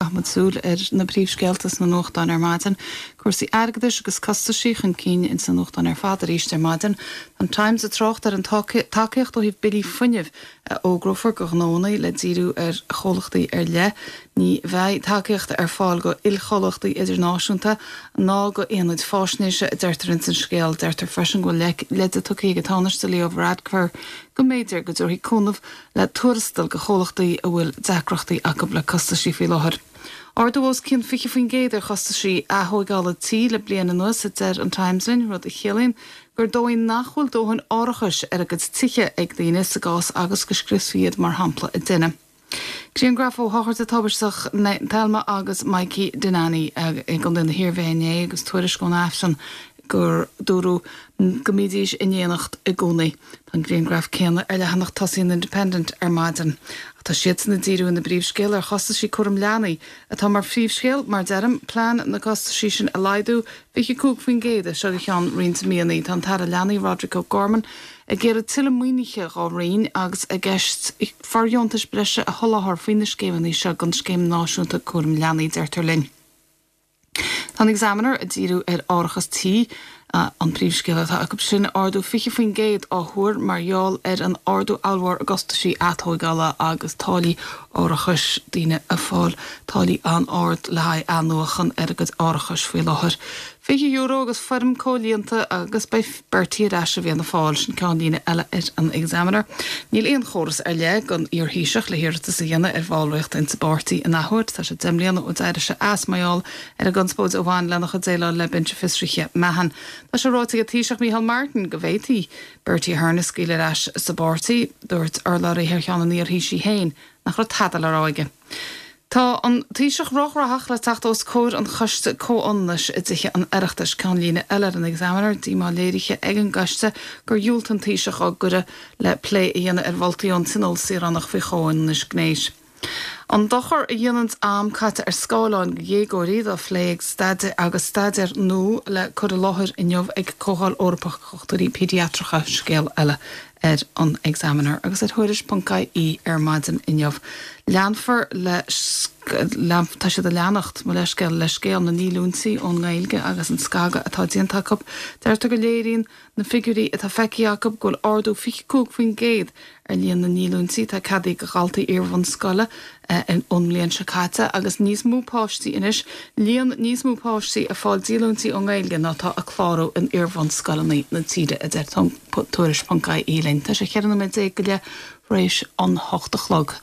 Caithfidh muid súil ar na príomhscéalta sna nuachtáin ar maidin. Cúrsaí airgeadais agus costaisí chun cinn ins na nuachtáin ar fad arís ar maidin. An Times ag trácht ar an tacaíocht ó thaobh billí fuinnimh a fhógrófar go ghnóanna le díriú ar chomhlachtaí ar leith. Ní bheidh tacaíocht ar fáil go ilchomhlachtaí idirnáisiúnta ná go aonaid fáisnéise, a deirtear ins an scéal. Deirtear freisin go bhfuil leide tugtha ag an Tánaiste Leo Varadkar go mb'fhéidir go dtabharfaí cúnamh le tuarastal go chomhlachtaí a bhfuil deacrachtaí acu le costaisí faoi láthair. Ardú os cionn 20% ar chostaisí aththóigeála tí le bliain anuas, a deir an Times linn, rud a chiallaíonn gur dóigh nach bhfuil dóthain árachais ar a gcuid tithe ag daoine sa gcás agus go scriosfaí iad mar shampla i dtine. Grianghraf ó shochraide tubaisteach Thelma agus Mikey Dennany i gContae na hIarmhí inné agus tuairisc ón Aifreann gur dúradh go mbídís in éineacht i gcónaí. Tá an grianghraf céanna ar leathanach tosaigh an Independent ar maidin. Ach tá siadsan ag díriú ina bpríomhscéal ar chostaisí cúram leanaí, atá mar phríomhscéal, mar deirim, plean na costaisí sin a laghdú 25% as seo go ceann roinnt míonna. Tá an tAire Leanaí, Roderic O'Gorman, ag iarraidh tuilleadh maoinithe dhá roinn agus i gceist fóirdheontais breise a sholáthar faoi na scéimeanna seo don Scéim Náisiúnta Cúraim Leanaí, deirtear linn. Tá an Examiner ag díriú ar árachas tí, an príomhscéal atá acu sin, ardú 20% á thuar mar gheall ar an ardú ollmhór i gcostaisí atóigeála agus táillí árachais, daoine ag fáil táillí an-ard le haghaidh athnuachan ar a gcuid árachais faoi láthair. €20 agus foirm comhlíonta agus beidh Bertie ar ais i bhFianna Fáil, sin ceannlíne eile ar an Examiner. Níl aon chóras ar leith don iar-Thaoiseach le hiarratas a dhéanamh ar bhallraíocht insa bpáirtí in athuair. Tá sé 10 mbliana ó d'éirigh sé as mar gheall ar an gconspóid a bhain lena chuid déileáil le Binse Fiosraithe Mahon. Tá sé ráite ag an Taoiseach Micheál Martin go bhféadfaí Bertie Ahern a scaoileadh ar ais sa bpáirtí. Dúirt urlabhraí thar cheann an iar-Thaoisigh féin nach raibh tada le rá aige. Tá an Taoiseach róghnóthach le teacht os comhair an Choiste Comhionannais i dTithe an Oireachtais. Ceannlíne eile ar an Examiner, díomá léirithe ag an gcoiste gur dhiúltaigh an Taoiseach á gcuireadh le plé a dhéanamh ar mholtaí ón Tionól Saoránach faoi chomhionannas gnéis. An dochar a dhéananns am caite ar scáileáin go dhéagóirí dá phlé ag staidéar agus staidéar nua le cur i láthair inniu ag Comhdháil Eorpach Dhochtúirí Péidiatracha, scéal eile ar an Examiner agus ar Thuairisc.ie ar maidin inniu. Leanfar le tá siad ag leanacht, mo leithscéal, le scéal na ndíolúintí ón nGaeilge agus an scagadh atá déanta acu. Deirtear go léiríonn na figiúirí atá feicthe acu go bhfuil ardú 25% ar líon na ndíolúintí atá ceadaithe do dhaltaí iarbhunscoile ón mbliain seo caite agus níos mó páistí anois, líon níos mó páistí ag fáil díolúintí ón nGaeilge ná atá ag clárú in iarbhunscoileanna na tíre, a deir Tuairisc.ie linn. Tá sé 14 nóiméad go leith tar éis an hocht a chlog.